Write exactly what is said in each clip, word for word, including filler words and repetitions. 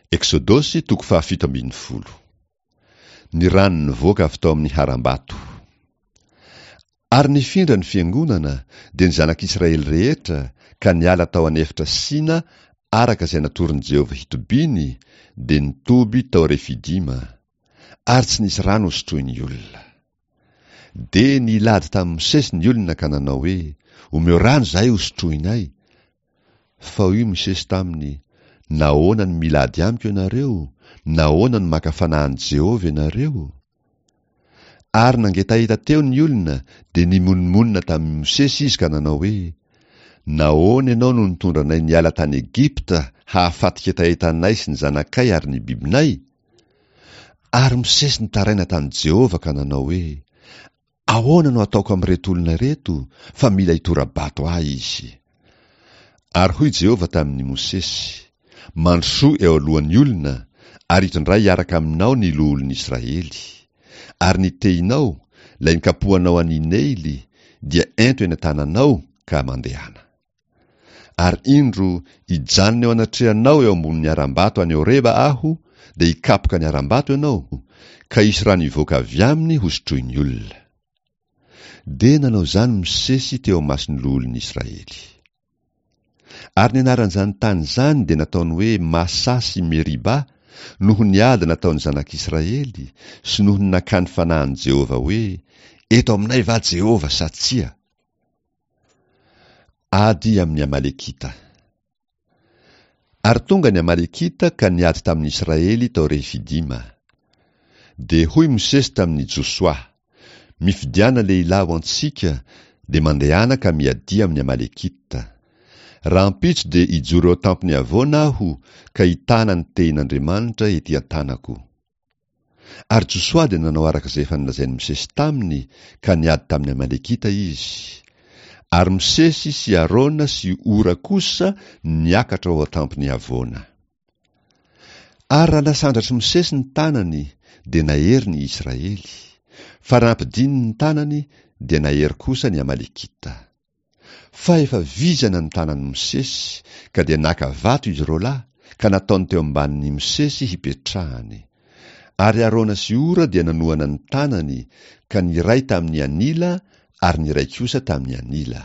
Eksodosy toko fahafito ambin'ny folo. Ny rano nivoaka avy tao amin'ny harambato. Ary nifindra ny fiangonana, dia ny zanak'Israely rehetra, ka niala tao an'efitra Sina araka izay natoron'i Jehovah hitobiany, dia nitoby tao Refidima. Ary tsy nisy rano hosotroin'ny olona. Dia nilady tamin'i Mosesy ny olona ka nanao hoe, Omeo rano izahay hosotroinay. Fa hoy Mosesy taminy, Nahoana no milady amiko ianareo? Nahoana no maka fanahy an'i Jehovah ianareo? Ary nangetaheta teo ny olona, dia nimonomonona tamin'i Mosesy izy ka nanao hoe, Nahoana ianao no nitondra anay niala tany Egypta hahafaty hetaheta anay sy ny zanakay ary ny bibinay? Ary Mosesy nitaraina tamin'i Jehovah ka nanao hoe, Ahoana no ataoko amin'ireto olona ireto, fa mila hitora-bato ahy izy? Ary hoy Jehovah tamin'i Mosesy, Mandrosoa eo alohan'ny olona, ary itondray hiaraka aminao ny loholon'Israely. Ary ny tehinao, ilay nikapohanao an'i Neily, dia ento eny an-tananao ka mandehana. Ary indro, hijanona eo anatrehanao eo ambonin'ny harambato any Horeba aho, dia hikapoka ny harambato ianao, ka hisy rano hivoaka avy aminy hosotroin'ny olona. Dia nanao izany Mosesy teo imason'ny loholon'Israely. Ary ny anaran'izany tany izany dia nataony hoe Masa sy Meriba, noho ny ady nataon'ny zanak'Israely, sy noho ny nakany fanahy an'i Jehovah hoe, Eto aminay va Jehovah sa tsia? Ady amin'ny Amalekita. Ary tonga ny Amalekita ka niady tamin'ny Israely tao Refidima. Dia hoy Mosesy tamin'i Josoa, Mifidiana lehilahy ho antsika, dia mandehana ka miadia amin'ny Amalekita. Rahampitso dia hijoro eo an-tampon'ny havoana aho ka hitana ny tehin'Andriamanitra ety an-tanako. Ary Josoa dia nanao araka izay efa nolazain'i Mosesy taminy, ka niady tamin'ny Amalekita izy. Ary Mosesy sy Arona sy Hora kosa niakatra ao an-tampon'ny havoana. Ary raha nasandratr'i Mosesy ny tanany, dia nahery ny Israely, fa raha nampidininy ny tanany, dia nahery kosa ny Amalekita. Fa efa vizana ny tanan'i Mosesy, ka dia naka vato izy roalahy, ka nataony teo ambanin'i Mosesy hipetrahany. Ary Arona sy Hora dia nanohana ny tanany, ka ny iray tamin'ny anila ary ny iray kosa tamin'ny anila.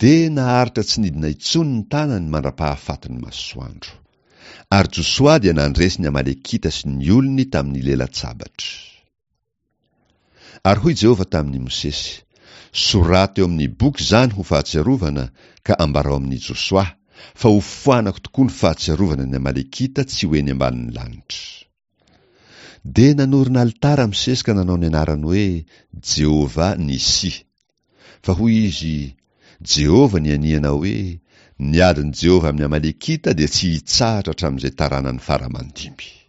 Dia naharitra tsy nidina intsony ny tanany mandra-pahafatin'ny masoandro. Ary Josoa dia nandresy ny Amalekita sy ny olony tamin'ny lelan-tsabatra. Ary hoy Jehovah tamin'i Mosesy, Soraty eo amin'ny boky izany ho fahatsiarovana, ka ambarao amin'i Josoa, fa hofoanako tokoa ny fahatsiarovana ny Amalekita tsy ho eny ambanin'ny lanitra. Dia nanorina alitara Mosesy ka nanao ny anarany hoe Jehovah Nissi. Fa hoy izy, Jehovah nianiana hoe, Ny adin'i Jehovah amin'ny Amalekita dia tsy hitsahatra hatramin'izay taranany fara aman-dimby.